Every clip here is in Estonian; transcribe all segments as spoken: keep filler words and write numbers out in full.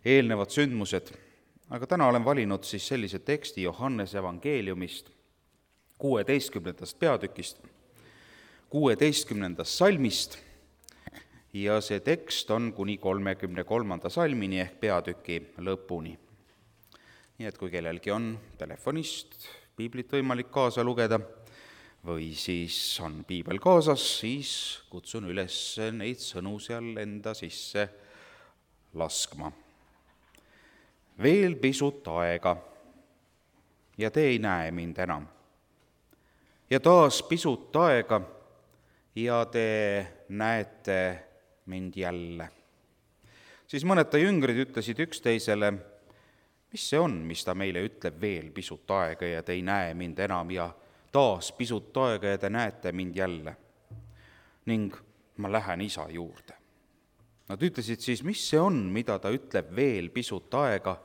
eelnevad sündmused, aga täna olen valinud siis sellise teksti Johannese evangeeliumist, kuueteistkümnendast peatükist, kuueteistkümnendast salmist, ja see tekst on kuni kolmekümne kolmanda salmini ehk peatüki lõpuni. Nii et kui kellelgi on telefonist piiblit võimalik kaasa lugeda või siis on piibel kaasas, siis kutsun üles neid sõnu seal enda sisse laskma. Veel pisut aega ja te ei näe mind enam. Ja taas pisut aega ja te näete mind jälle. Siis mõned ta jüngrid ütlesid üksteisele, mis see on, mis ta meile ütleb, veel pisut aega ja te ei näe mind enam ja taas pisut aega ja te näete mind jälle. Ning ma lähen isa juurde. Nad ütlesid siis, mis see on, mida ta ütleb veel pisut aega.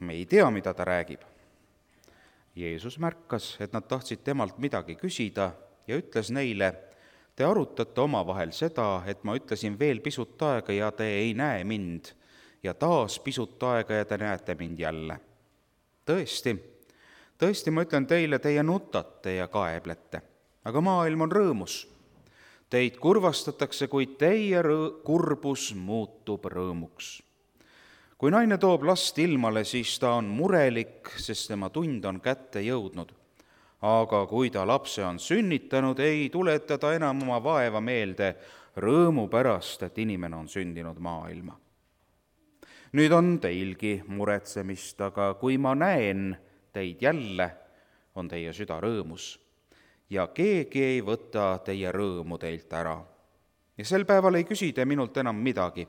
Me ei tea, mida ta räägib. Jeesus märkas, et nad tahtsid temalt midagi küsida ja ütles neile, te arutate omavahel seda, et ma ütlesin veel pisut aega ja te ei näe mind ja taas pisut aega ja te näete mind jälle. Tõesti, tõesti ma ütlen teile, teie nutate ja kaeblete, aga maailm on rõõmus. Teid kurvastatakse, kuid teie rõõ- kurbus muutub rõõmuks. Kui naine toob last ilmale, siis ta on murelik, sest tema tund on kätte jõudnud. Aga kui ta lapse on sünnitanud, ei tuleta ta enam oma vaeva meelde rõõmu pärast, et inimene on sündinud maailma. Nüüd on teilgi muretsemist, aga kui ma näen teid jälle, on teie süda rõõmus ja keegi ei võta teie rõõmu teilt ära. Ja sel päeval ei küsi te minult enam midagi.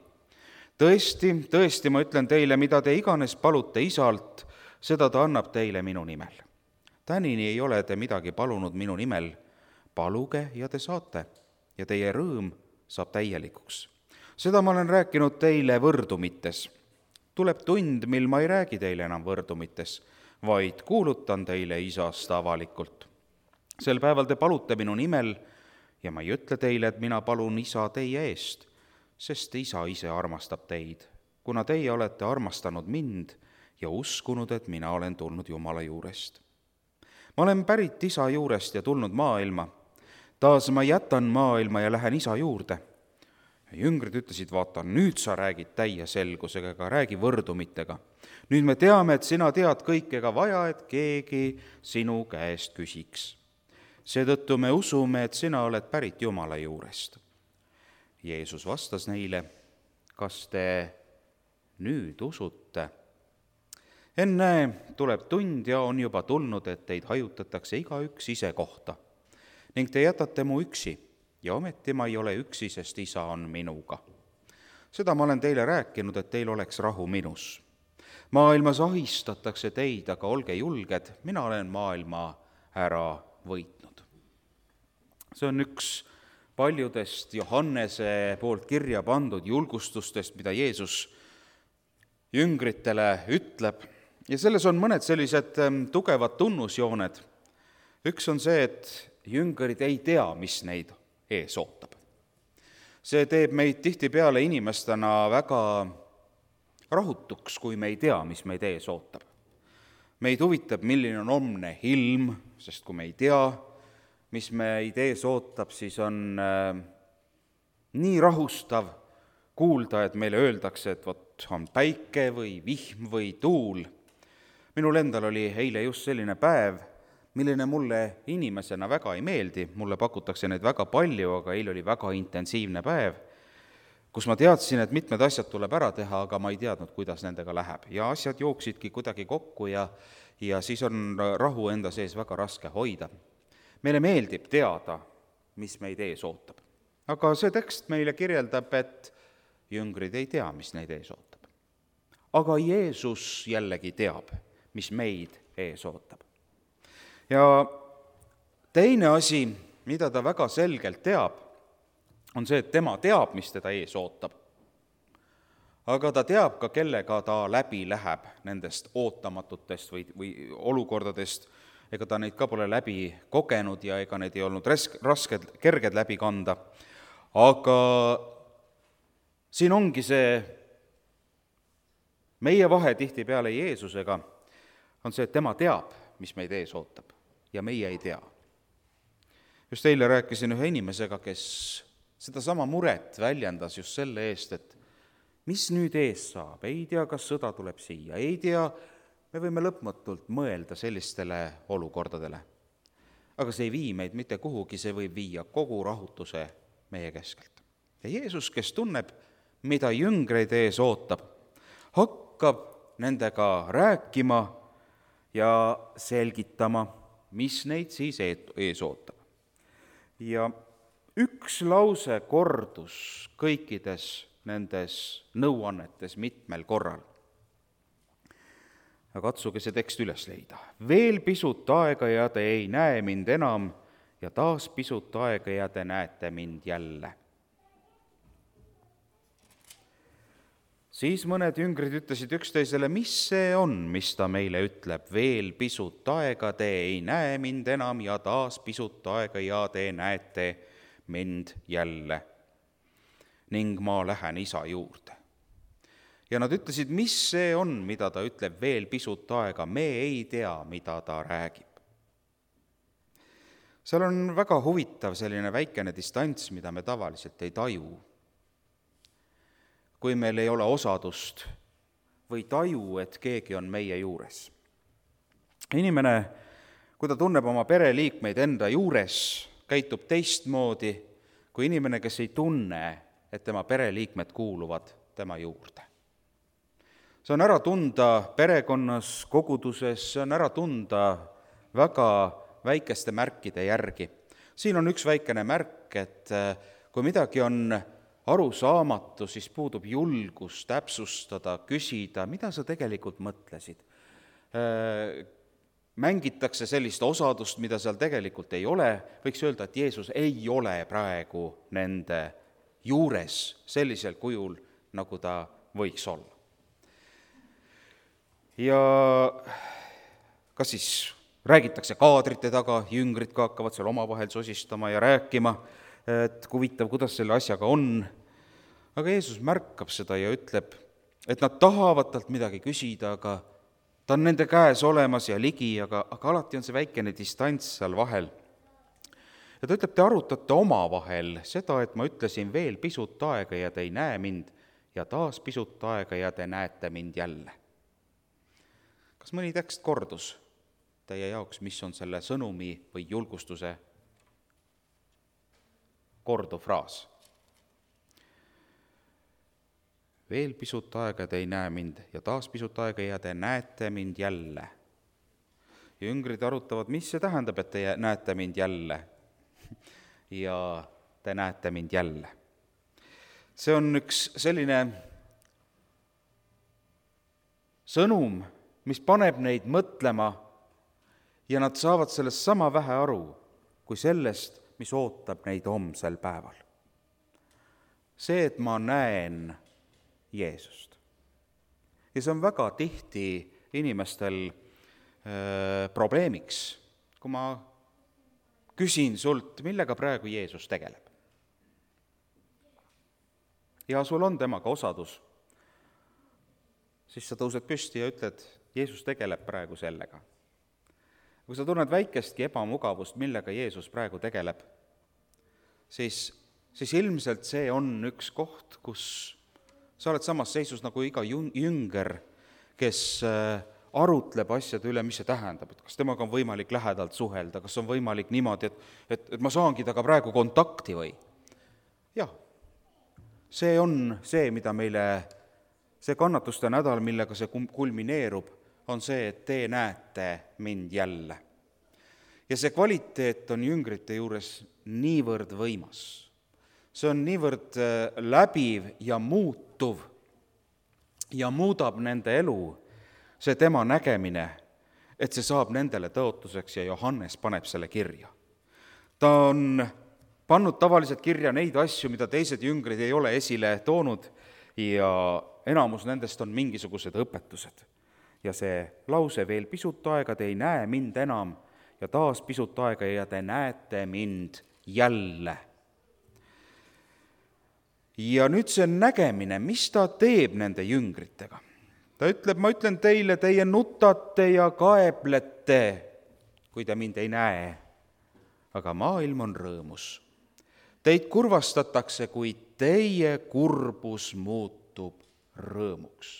Tõesti, tõesti, ma ütlen teile, mida te iganes palute isalt, seda ta annab teile minu nimel. Tänini ei ole te midagi palunud minu nimel, paluge ja te saate ja teie rõõm saab täielikuks. Seda ma olen rääkinud teile võrdumites. Tuleb tund, mil ma ei räägi teile enam võrdumites, vaid kuulutan teile isast avalikult. Sel päeval te palute minu nimel ja ma ei ütle teile, et mina palun isa teie eest, sest isa ise armastab teid, kuna teie olete armastanud mind ja uskunud, et mina olen tulnud Jumala juurest. Ma olen pärit isa juurest ja tulnud maailma. Taas ma jätan maailma ja lähen isa juurde. Jüngrid ütlesid, vaata, nüüd sa räägid täie selgusega, ega räägi võrdumitega. Nüüd me teame, et sina tead kõik ega vaja, et keegi sinu käest küsiks. Seetõttu me usume, et sina oled pärit Jumala juurest. Jeesus vastas neile, kas te nüüd usute? Enne tuleb tund ja on juba tulnud, et teid hajutatakse igaüks ise kohta. Ning te jätate mu üksi ja ometi ma ei ole üksi, sest isa on minuga. Seda ma olen teile rääkinud, et teil oleks rahu minus. Maailmas ahistatakse teid, aga olge julged, mina olen maailma ära võitnud. See on üks paljudest Johannese poolt kirja pandud julgustustest, mida Jeesus jüngritele ütleb. Ja selles on mõned sellised tugevad tunnusjooned. Üks on see, et jüngrid ei tea, mis neid ees ootab. See teeb meid tihtipeale inimestena väga rahutuks, kui me ei tea, mis meid ees ootab. Meid huvitab, milline on homne ilm, sest kui me ei tea, mis meid ees ootab, siis on äh, nii rahustav kuulda, et meile öeldakse, et vot on päike või vihm või tuul. Minul endal oli eile just selline päev, milline mulle inimesena väga ei meeldi. Mulle pakutakse neid väga palju, aga eile oli väga intensiivne päev, kus ma teadsin, et mitmed asjad tuleb ära teha, aga ma ei teadnud, kuidas nendega läheb. Ja asjad jooksidki kuidagi kokku ja, ja siis on rahu enda sees väga raske hoida. Meile meeldib teada, mis meid ees ootab. Aga see tekst meile kirjeldab, et jüngrid ei tea, mis neid ees ootab. Aga Jeesus jällegi teab, mis meid ees ootab. Ja teine asi, mida ta väga selgelt teab, on see, et tema teab, mis teda ees ootab. Aga ta teab ka, kellega ta läbi läheb nendest ootamatutest või, või olukordadest. Ega ta neid ka pole läbi kogenud ja ega neid ei olnud rasked, kerged läbi kanda. Aga siin ongi see meie vahe tihtipeale Jeesusega on see, et tema teab, mis meid ees ootab ja meie ei tea. Just eile rääkisin ühe inimesega, kes sedasama muret väljendas just selle eest, et mis nüüd ees saab, ei tea, kas sõda tuleb siia, ei tea, me võime lõpmatult mõelda sellistele olukordadele. Aga see ei vii meid mitte kuhugi, see võib viia kogu rahutuse meie keskelt. Ja Jeesus, kes tunneb, mida jüngreid ees ootab, hakkab nendega rääkima ja selgitama, mis neid siis ees ootab. Ja üks lause kordus kõikides nendes nõuannetes mitmel korral. Aga katsuge see tekst üles leida. Veel pisut aega ja te ei näe mind enam ja taas pisut aega ja te näete mind jälle. Siis mõned jüngrid ütlesid üksteisele, mis see on, mis ta meile ütleb. Veel pisut aega te ei näe mind enam ja taas pisut aega ja te näete mind jälle. Ning ma lähen isa juurde. Ja nad ütlesid, mis see on, mida ta ütleb veel pisut aega, me ei tea, mida ta räägib. Seal on väga huvitav selline väikene distants, mida me tavaliselt ei taju. Kui meil ei ole osadust või taju, et keegi on meie juures. Inimene, kui ta tunneb oma pereliikmeid enda juures, käitub teistmoodi kui inimene, kes ei tunne, et tema pereliikmed kuuluvad tema juurde. See on ära tunda perekonnas, koguduses, see on ära tunda väga väikeste märkide järgi. Siin on üks väikene märk, et kui midagi on arusaamatu, siis puudub julgus täpsustada, küsida, mida sa tegelikult mõtlesid. Mängitakse sellist osadust, mida seal tegelikult ei ole. Võiks öelda, et Jeesus ei ole praegu nende juures sellisel kujul, nagu ta võiks olla. Ja kas siis räägitakse kaadrite taga, jüngrid ka hakkavad seal omavahel sosistama ja rääkima, et huvitav, kuidas selle asjaga on. Aga Jeesus märkab seda ja ütleb, et nad tahavad talt midagi küsida, aga ta on nende käes olemas ja ligi, aga, aga alati on see väikene distants seal vahel. Ja ta ütleb, te arutate omavahel seda, et ma ütlesin veel pisut aega ja te ei näe mind ja taas pisut aega ja te näete mind jälle. Kas mõni tekst kordus teie jaoks, mis on selle sõnumi või julgustuse korduv fraas? Veel pisut aega te ei näe mind ja taas pisut aega ja te näete mind jälle. Jüngrid arutavad, mis see tähendab, et te näete mind jälle ja te näete mind jälle. See on üks selline sõnum, mis paneb neid mõtlema ja nad saavad sellest sama vähe aru kui sellest, mis ootab neid homsel päeval. See, et ma näen Jeesust. Ja see on väga tihti inimestel äh, probleemiks, kui ma küsin sult, millega praegu Jeesus tegeleb. Ja sul on temaga osadus, siis sa tõused püsti ja ütled, Jeesus tegeleb praegu sellega. Kui sa tunned väikestki ebamugavust, millega Jeesus praegu tegeleb, siis, siis ilmselt see on üks koht, kus sa oled samas seisus nagu iga jünger, kes arutleb asjade üle, mis see tähendab, et kas temaga on võimalik lähedalt suhelda, kas on võimalik niimoodi, et, et, et ma saangi taga praegu kontakti või? Jah, see on see, mida meile, see kannatuste nädal, millega see kulmineerub, on see, et te näete mind jälle. Ja see kvaliteet on jüngrite juures niivõrd võimas. See on niivõrd läbiv ja muutuv ja muudab nende elu, see tema nägemine, et see saab nendele tõotuseks ja Johannes paneb selle kirja. Ta on pannud tavaliselt kirja neid asju, mida teised jüngrid ei ole esile toonud ja enamus nendest on mingisugused õpetused. Ja see lause veel pisut aega te ei näe mind enam ja taas pisut aega ja te näete mind jälle. Ja nüüd see nägemine, mis ta teeb nende jüngritega? ta ütleb, ma ütlen teile, teie nutate ja kaeblete, kui te mind ei näe, aga maailm on rõõmus. Teid kurvastatakse, kuid teie kurbus muutub rõõmuks.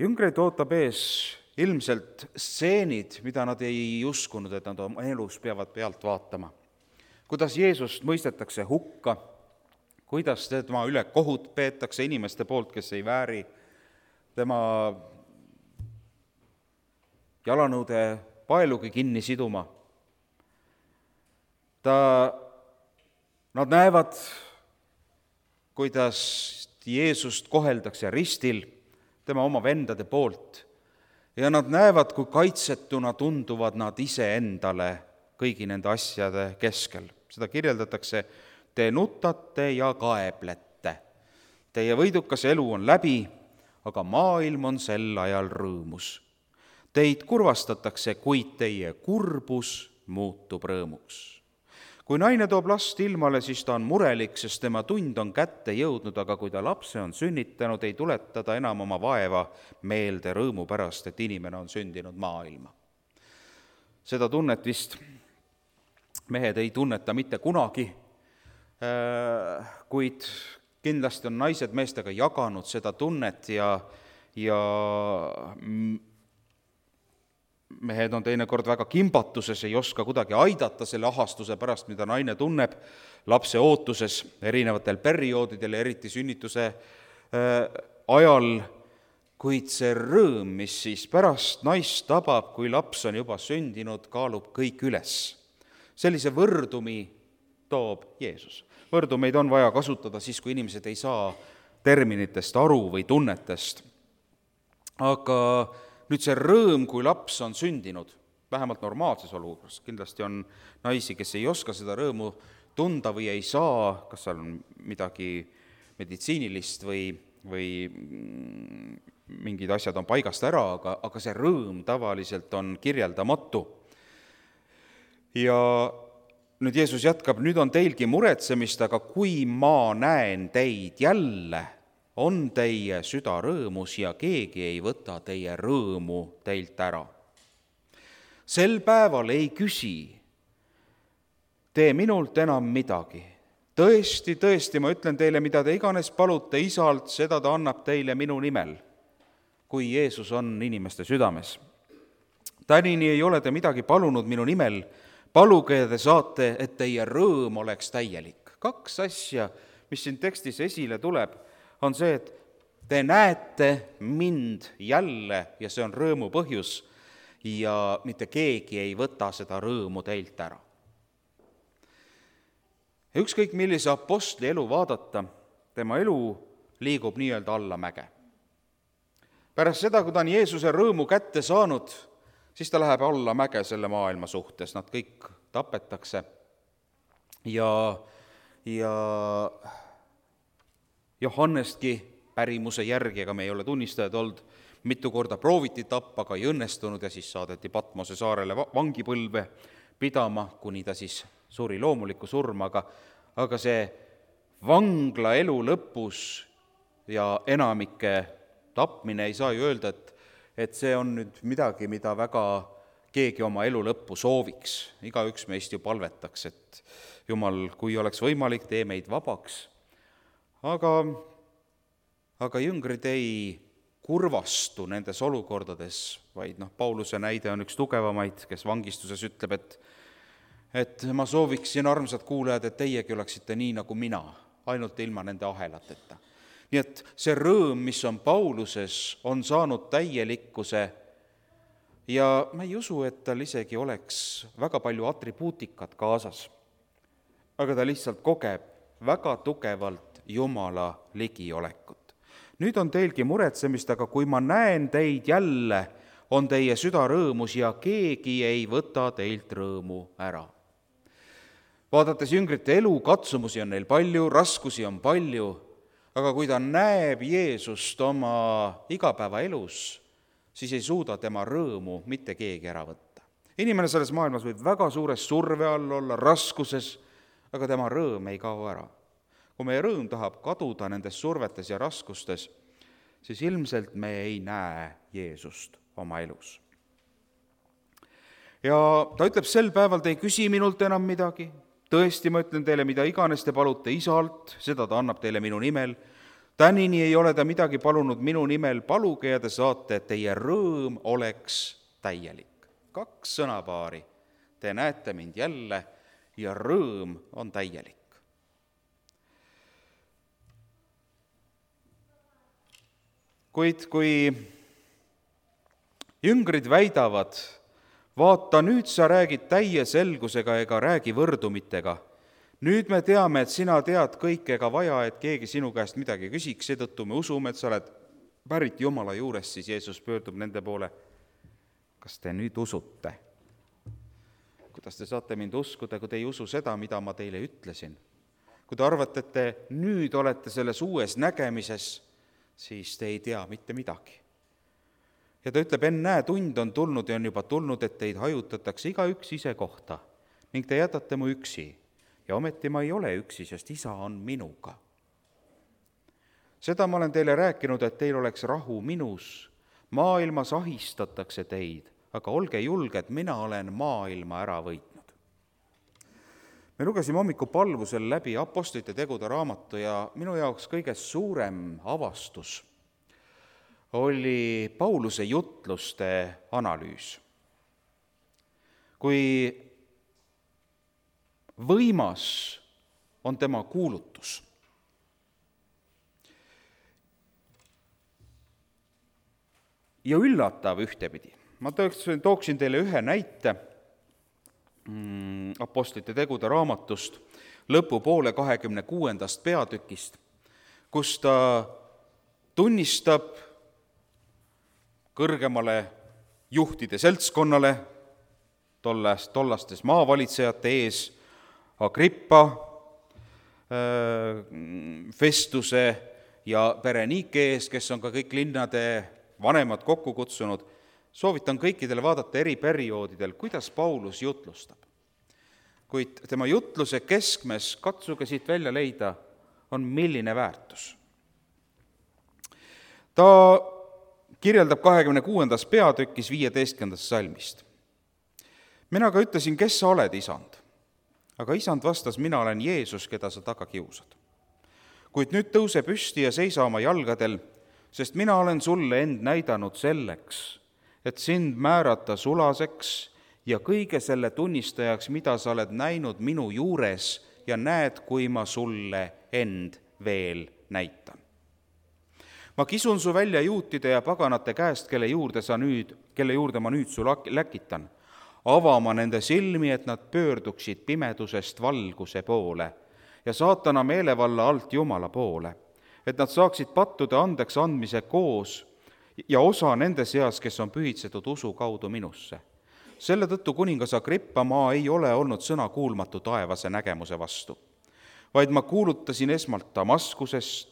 Jüngreid ootab ees ilmselt stseenid, mida nad ei uskunud, et nad oma elus peavad pealt vaatama. Kuidas Jeesust mõistetakse hukka, kuidas tema üle kohut peetakse inimeste poolt, kes ei vääri, tema jalanõude paelugi kinni siduma. Ta, nad näevad, kuidas Jeesust koheldakse ristil tema oma vendade poolt ja nad näevad, kui kaitsetuna tunduvad nad iseendale kõigi nende asjade keskel. Seda kirjeldatakse, te nutate ja kaeblete. Teie võidukas elu on läbi, aga maailm on sel ajal rõõmus. Teid kurvastatakse, kuid teie kurbus muutub rõõmuks. Kui naine toob last ilmale, siis ta on murelik, sest tema tund on kätte jõudnud, aga kui ta lapse on sünnitanud, ei tuleta ta enam oma vaeva meelde rõõmu pärast, et inimene on sündinud maailma. Seda tunnet vist mehed ei tunneta mitte kunagi, kuid kindlasti on naised meestega jaganud seda tunnet ja, ja mehed on teinekord väga kimbatuses, ei oska kuidagi aidata selle ahastuse pärast, mida naine tunneb lapse ootuses erinevatel perioodidel, eriti sünnituse ajal, kuid see rõõm, mis siis pärast naist tabab, kui laps on juba sündinud, kaalub kõik üles. Sellise võrdumi toob Jeesus. Võrdumeid on vaja kasutada siis, kui inimesed ei saa terminitest aru või tunnetest. Aga nüüd see rõõm, kui laps on sündinud, vähemalt normaalses olukorras, kindlasti on naisi, kes ei oska seda rõõmu tunda või ei saa, kas seal on midagi meditsiinilist või, või mingid asjad on paigast ära, aga, aga see rõõm tavaliselt on kirjeldamatu. Ja nüüd Jeesus jätkab, nüüd on teilgi muretsemist, aga kui ma näen teid jälle, on teie süda rõõmus ja keegi ei võta teie rõõmu teilt ära. Sel päeval ei küsi tee minult enam midagi. Tõesti, tõesti, ma ütlen teile, mida te iganes palute isalt, seda ta annab teile minu nimel, kui Jeesus on inimeste südames. Tänini ei ole te midagi palunud minu nimel, paluge ja te saate, et teie rõõm oleks täielik. Kaks asja, mis siin tekstis esile tuleb, on see, et te näete mind jälle ja see on rõõmu põhjus ja mitte keegi ei võta seda rõõmu teilt ära. Ja ükskõik millise apostli elu vaadata, tema elu liigub nii-öelda allamäge. Pärast seda, kui ta on Jeesuse rõõmu kätte saanud, siis ta läheb allamäge selle maailma suhtes, nad kõik tapetakse ja, ja Johannestki pärimuse järgi, ega me ei ole tunnistajad olnud, mitu korda prooviti tappa, aga ei õnnestunud ja siis saadeti Patmose saarele vangipõlve pidama, kuni ta siis suri loomulikku surma, aga, aga see vangla elu lõpus ja enamike tapmine ei saa ju öelda, et, et see on nüüd midagi, mida väga keegi oma elu lõppu sooviks. Igaüks meist ju palvetaks, et Jumal, kui oleks võimalik, tee meid vabaks. Aga, aga jüngrid ei kurvastu nendes olukordades, vaid noh, Pauluse näide on üks tugevamaid, kes vangistuses ütleb, et, et ma sooviksin, armsad kuulajad, et teiegi oleksite nii nagu mina, ainult ilma nende ahelateta. Nii et see rõõm, mis on Pauluses, on saanud täielikkuse ja ma ei usu, et tal isegi oleks väga palju atribuutikat kaasas, aga ta lihtsalt kogeb väga tugevalt Jumala ligiolekut. Nüüd on teilgi muretsemist, aga kui ma näen teid jälle, on teie süda rõõmus ja keegi ei võta teilt rõõmu ära. Vaadates jüngrite elu, katsumusi on neil palju, raskusi on palju, aga kui ta näeb Jeesust oma igapäevaelus, siis ei suuda tema rõõmu mitte keegi ära võtta. Inimene selles maailmas võib väga suures surve all olla, raskuses, aga tema rõõm ei kao ära. Kui meie rõõm tahab kaduda nendes survetes ja raskustes, siis ilmselt me ei näe Jeesust oma elus. Ja ta ütleb, sel päeval te ei küsi minult enam midagi, tõesti, ma ütlen teile, mida iganes te palute isalt, seda ta annab teile minu nimel. Tänini ei ole ta midagi palunud minu nimel, paluge ja te saate, et teie rõõm oleks täielik. Kaks sõnapaari, te näete mind jälle ja rõõm on täielik. Kuid kui jüngrid väidavad, vaata, nüüd sa räägid täie selgusega ega räägi võrdumitega. Nüüd me teame, et sina tead kõike ega vaja, et keegi sinu käest midagi küsiks, seetõttu me usume, et sa oled pärit Jumala juurest, siis Jeesus pöördub nende poole. Kas te nüüd usute? Kuidas te saate mind uskuda, kui te ei usu seda, mida ma teile ütlesin? Kui te arvate, et te nüüd olete selles uues nägemises, siis te ei tea mitte midagi. Ja ta ütleb, ennäe, tund on tulnud ja on juba tulnud, et teid hajutatakse igaüks ise kohta ning te jätate mu üksi. Ja ometi ma ei ole üksi, sest isa on minuga. Seda ma olen teile rääkinud, et teil oleks rahu minus. Maailmas ahistatakse teid, aga olge julged, mina olen maailma ära võitnud. Me lugesime hommiku palvusel läbi Apostlite tegude raamatu ja minu jaoks kõige suurem avastus oli Pauluse jutluste analüüs. Kui võimas on tema kuulutus. Ja üllatav ühtepidi. Ma tooksin teile ühe näite Apostlite tegude raamatust lõpupoole kahekümne kuuendast peatükist, kus ta tunnistab kõrgemale juhtide seltskonnale, tollast, tollastes maavalitsejate ees, Agrippa, Festuse ja Berenike ees, kes on ka kõik linnade vanemad kokku kutsunud, soovitan kõikidele vaadata eri perioodidel, kuidas Paulus jutlustab. Kuid tema jutluse keskmes, katsuge siit välja leida, on milline väärtus. Ta kirjeldab kahekümne kuuendas peatükis viieteistkümnendast salmist. Mina ka ütlesin, kes sa oled, isand? Aga isand vastas, mina olen Jeesus, keda sa taga kiusad. Kuid nüüd tõuse püsti ja seisa oma jalgadel, sest mina olen sulle end näidanud selleks, et sind määrata sulaseks ja kõige selle tunnistajaks, mida sa oled näinud minu juures ja näed, kui ma sulle end veel näitan. Ma kisun su välja juutide ja paganate käest, kelle juurde, sa nüüd, kelle juurde ma nüüd su läkitan, avama nende silmi, et nad pöörduksid pimedusest valguse poole ja saatana meelevalla alt Jumala poole, et nad saaksid pattude andeks andmise koos ja osa nende seas, kes on pühitsetud usu kaudu minusse. Selle tõttu kuningas Agrippa, ma ei ole olnud sõna kuulmatu taevase nägemuse vastu, vaid ma kuulutasin esmalt Damaskusest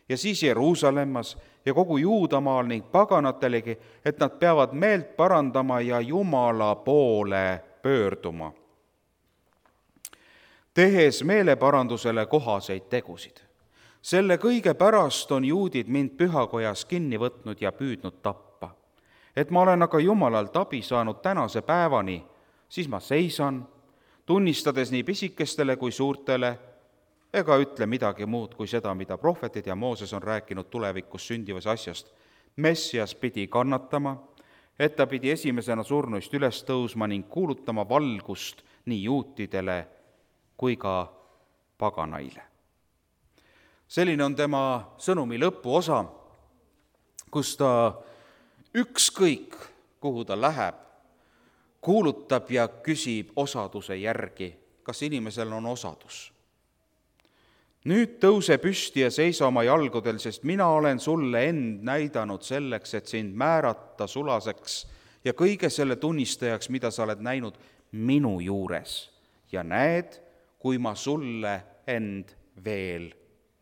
ja siis Jeruusalemmas ja kogu Juudamaal ning paganatelegi, et nad peavad meelt parandama ja Jumala poole pöörduma, tehes meeleparandusele kohaseid tegusid. Selle kõige pärast on juudid mind pühakojas kinni võtnud ja püüdnud tappa. Et ma olen aga Jumalalt abi saanud tänase päevani, siis ma seisan, tunnistades nii pisikestele kui suurtele, ega ütle midagi muud kui seda, mida prohvetid ja Mooses on rääkinud tulevikus sündivas asjast. Messias pidi kannatama, et ta pidi esimesena surnuist üles tõusma ning kuulutama valgust nii juutidele kui ka paganaile. Selline on tema sõnumi lõpuosa, kus ta ükskõik, kuhu ta läheb, kuulutab ja küsib osaduse järgi, kas inimesel on osadus. Nüüd tõuse püsti ja seisa oma jalgudel, sest mina olen sulle end näidanud selleks, et sind määrata sulaseks ja kõige selle tunnistajaks, mida sa oled näinud minu juures. Ja näed, kui ma sulle end veel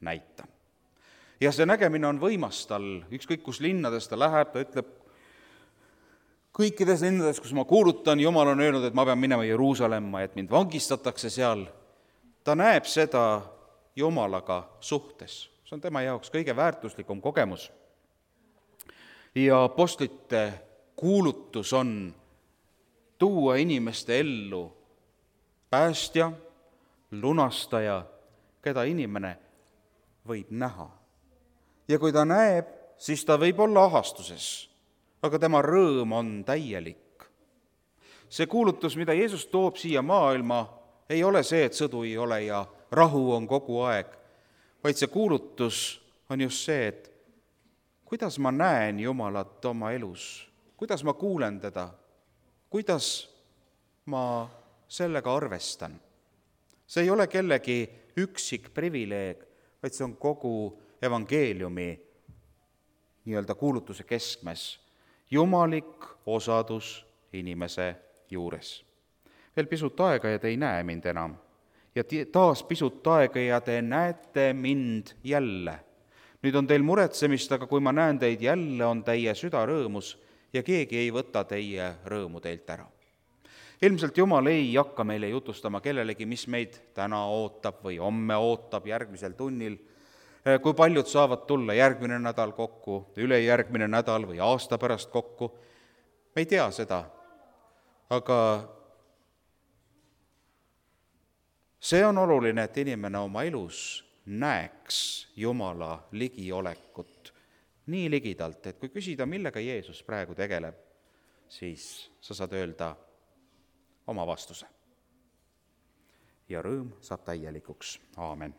näitan. Ja see nägemine on võimas tal, ükskõik kus linnades ta läheb, ta ütleb, kõikides linnades, kus ma kuulutan, Jumal on öelnud, et ma pean minema Jeruusalemma, et mind vangistatakse seal. Ta näeb seda Jumalaga suhtes. See on tema jaoks kõige väärtuslikum kogemus. ja apostlite kuulutus on tuua inimeste ellu päästja, lunastaja, keda inimene võib näha. Ja kui ta näeb, siis ta võib olla ahastuses, aga tema rõõm on täielik. See kuulutus, mida Jeesus toob siia maailma, ei ole see, et sõdu ei ole ja rahu on kogu aeg, vaid see kuulutus on just see, et kuidas ma näen Jumalat oma elus, kuidas ma kuulen teda, kuidas ma sellega arvestan. See ei ole kellegi üksik privileeg, vaid see on kogu evangeeliumi nii-öelda kuulutuse keskmes. Jumalik osadus inimese juures. Veel pisut aega ja te ei näe mind enam. Ja taas pisut aega ja te näete mind jälle. Nüüd on teil muretsemist, aga kui ma näen teid jälle, on teie süda rõõmus ja keegi ei võta teie rõõmu teilt ära. Ilmselt Jumal ei hakka meile jutustama kellelegi, mis meid täna ootab või homme ootab järgmisel tunnil, kui paljud saavad tulla järgmine nädal kokku, ülejärgmine nädal või aasta pärast kokku. Me ei tea seda, aga see on oluline, et inimene oma elus näeks Jumala ligiolekut nii ligidalt, et kui küsida, millega Jeesus praegu tegeleb, siis sa saad öelda oma vastuse. Ja rõõm saab täielikuks. Aamen.